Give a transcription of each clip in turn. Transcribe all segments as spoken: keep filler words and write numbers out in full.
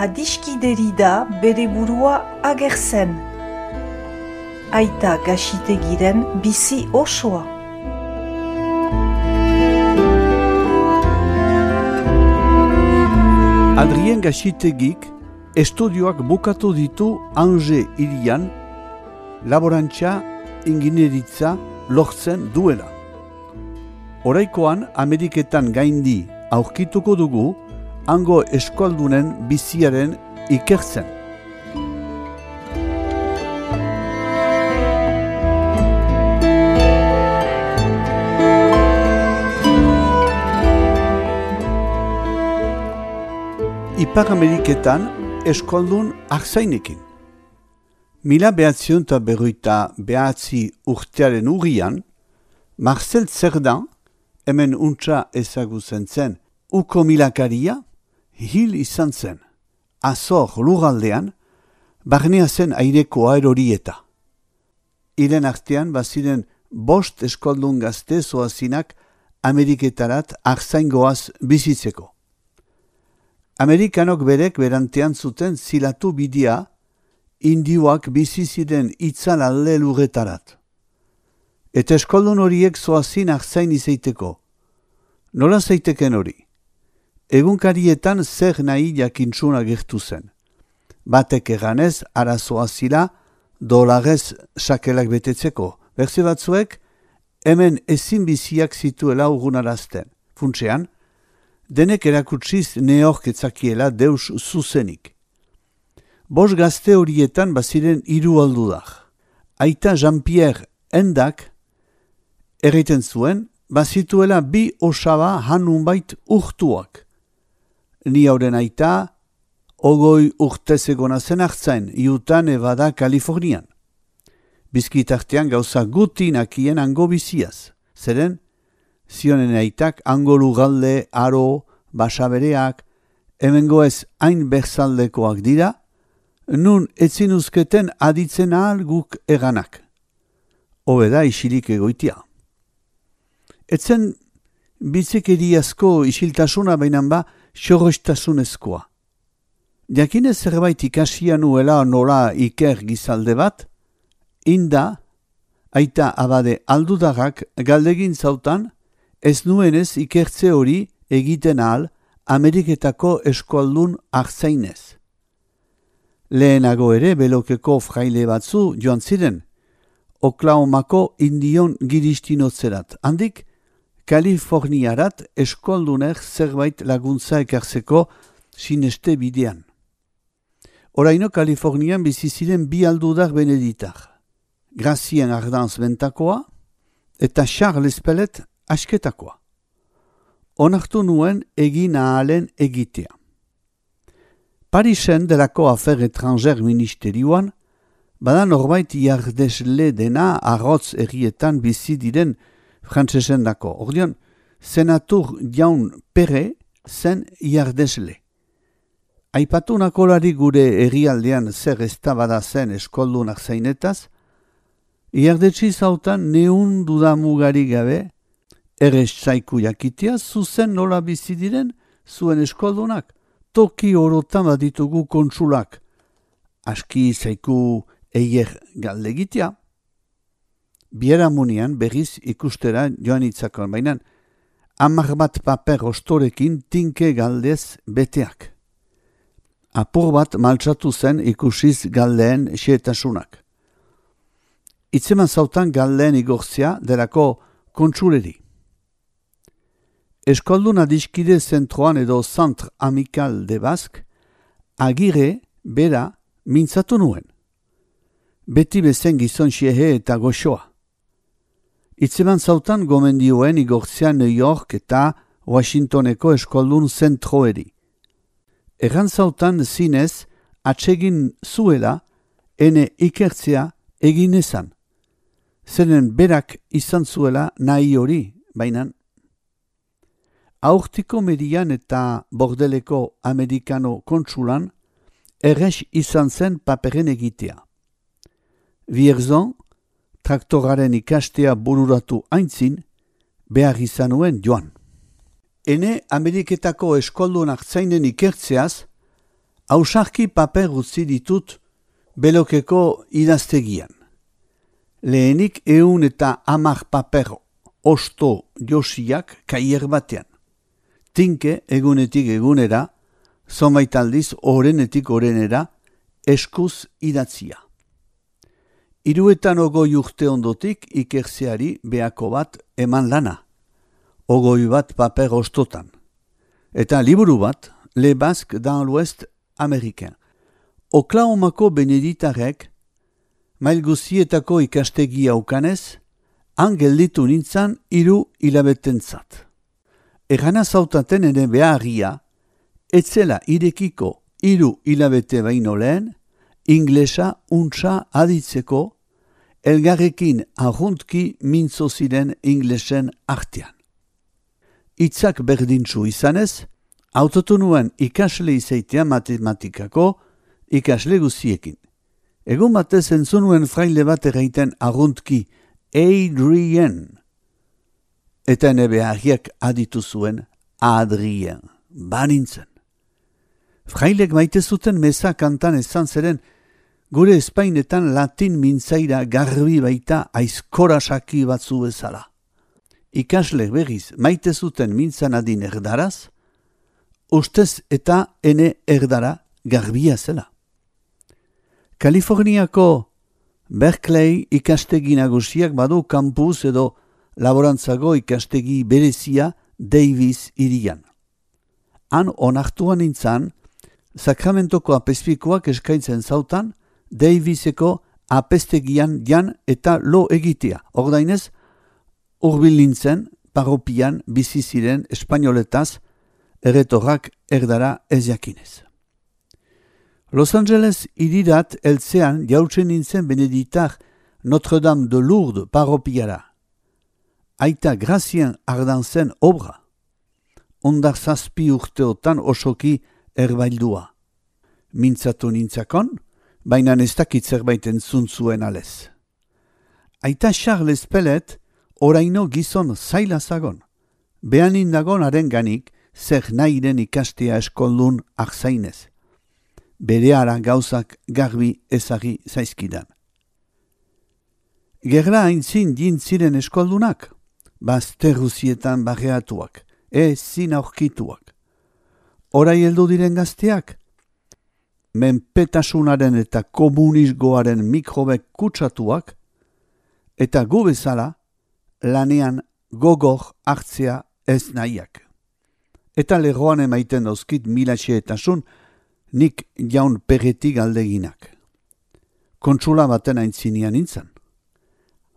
adiskideri da bere burua agertzen. Aita Gaxitegiren bizi osoa. Adrien Gaxitegik estudioak bukatu ditu Angers hirian, laborantza ingineritza lortzen duela. Oraikoan Ameriketan gaindi aurkituko dugu hango eskualdunen biziaren ikertzen. Ipar Ameriketan eskualdun arzainekin. Mila behatzion eta berroita behatzi urtearen urrian, Marcel Cerdan, hemen untsa ezagutzen zen, uko milakaria, hil izan zen. Azor lurraldean, barnea zen aireko aerorieta. Hilen artean baziren bost eskualdun gazte zoazinak Ameriketarat arzaingoaz bizitzeko. Amerikanok berek berantean zuten zilatu bidia, indioak bizi ziren itzal alde lurretarat. Eta eskoldun horiek zoazin arzain izaiteko. Nola zaiteken hori? Egunkarietan zer nahi jakintzuna gertu zen. Batek eganez arazoa zila dolarez sakelak betetzeko. Berze batzuek hemen ezin biziak zituela urgunarazten. Funtsean, denek erakutsiz neork etzakiela deus zuzenik. Bos gazte horietan baziren hiru aldudak. Aita Jean-Pierre Endak erraiten zuen, bazituela bi osaba hanunbait urtuak. Ni hauren aita, ogoi urtez egona zen hartzain, Utah, Nevada, Kalifornian. Bizkitartean gauza guti nakien hango biziaz. Zeren, zionen aitak hango lugalde, aro, basabereak, hemengo ez hain berzaldekoak dira, nun etzin uzketen aditzen ahal guk eganak. Hobeda isilik egoitia. Etzen bitzekeriazko isiltasuna bainan ba xorrostasunezkoa. Jakinez zerbait ikasia nuela nola iker gizalde bat, inda, aita abade aldudagak galdegin zautan, ez nuenez ikertze hori egiten ahal Ameriketako eskualdun arzainez. Lehenago ere belokeko fraile batzu joan ziren, Oklahomako indion giristinotzerat. Handik, Kaliforniarat eskualdunek zerbait laguntza ekartzeko sineste bidean. Oraino Kalifornian bizi ziren bi aldudak beneditar. Grazien Ardanz bentakoa eta Charles Pellet asketakoa. Onartu nuen egin ahalen egitea. Parisen delako afer etranger ministerioan, bada norbait jardesle dena arrotz errietan bizi diren frantsesen dako. Ordion, senatur jaun Pere zen jardesle. Aipatu nakolari gure herrialdean zer eztabada zen eskoldunak zainetaz, jardetsi zautan neun dudamugari gabe, errez zaiku jakitea zuzen nola bizi diren zuen eskoldunak, toki orotan baditugu kontsulak. Aski zaiku eier galdegitea. Bieramunian berriz ikustera joan itzakon, baina hamar bat paper ostorekin tinke galdez beteak. Apur bat maltsatu zen ikusiz galdeen xeetasunak. Itzeman zautan galdeen igortzea delako kontsuleri. Eskoldun adiskide zentroan edo Centre Amical de Basque, agire, bera, mintzatu nuen. Beti bezen gizon xehe eta goxoa. Itzeman zautan gomendioen igortzea New York eta Washingtoneko eskoldun zentroeri. Erran zautan zinez atsegin zuela ene ikertzea egin ezan. Zeren berak izan zuela nahi hori, bainan. Aurtiko median eta bordeleko amerikano kontsulan errex izan zen paperen egitea. Vierzon, traktoraren ikastea bururatu aintzin, behar izan nuen joan. Ene Ameriketako eskoldun hartzainen ikertzeaz, Ausarki paper utzi ditut belokeko idaztegian. Lehenik eun eta hamar paper osto josiak kaier batean. Tinke egunetik egunera, zonbait aldiz orenetik orenera, eskuz idatzia. Hiruetan ogoi urte ondotik ikertzeari behako bat eman lana. Ogoi bat paper ostotan. Eta liburu bat, Le Basque dans l'Ouest américain. Oklahomako beneditarek, mail guzietako ikastegia ukanez, han gelditu nintzan hiru hilabetentzat. Erana zautaten ere beharria, etzela irekiko hiru hilabete baino lehen, inglesa untsa aditzeko, elgarrekin arruntki mintzo ziren inglesen artean. Itzak berdintzu izanez, autotu nuen ikasle izaitea matematikako ikasle guziekin. Egun batez entzunuen fraile bat erraiten arruntki Adrien. Eta ene beharriak aditu zuen Adrien. Banintzen. Frailek maite zuten meza kantan ezan zeren gure espainetan latin mintzaira garbi baita aizkorasaki batzu bezala. Ikasle berriz maite zuten mintzan adin erdaraz, ustez eta ene erdara garbia zela. Kaliforniako Berkeley ikastegi nagusiak badu kampus edo laborantzago ikastegi berezia Davis hirian. Han onartuan nintzan, Sakramentoko apezpikoak eskaintzen zautan, Daviseko apestegian jan eta lo egitea. Ordainez, hurbil nintzen, parropian bizi ziren espainoletaz, erretorrak erdara ez jakinez. Los Angeles irirat eltzean jautzen nintzen beneditar Notre-Dame de Lourdes parropiara. Aita Grazien ardantzen obra. Ondar zazpi urteotan osoki erbaildua. Mintzatu nintzakon, baina ez dakit zerbait entzun zuen alez. Aita Charles Pellet oraino gizon zaila zagon. Behanin dagon arenganik zer nahiren ikastea eskoldun akzainez. Bereara gauzak garbi ezagi zaizkidan. Gerla haintzin jintziren eskoldunak, bazterruzietan barreatuak, ezin aurkituak. Orai heldu diren gazteak, menpetasunaren eta komunisgoaren mikrobek kutsatuak, eta gu bezala lanean gogor hartzea ez nahiak. Eta lerroan emaiten dauzkit milatxeetasun, nik jaun perretik aldeginak. Kontsula baten aintzinian nintzen.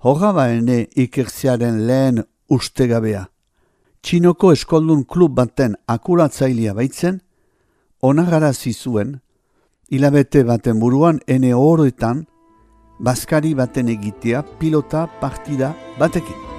Horra baene ikertzearen lehen ustegabea. Txinoko eskoldun klub baten akuratzailea baitzen, onagarazi zuen, hilabete baten buruan ene horretan, bazkari baten egitea pilota partida batekin.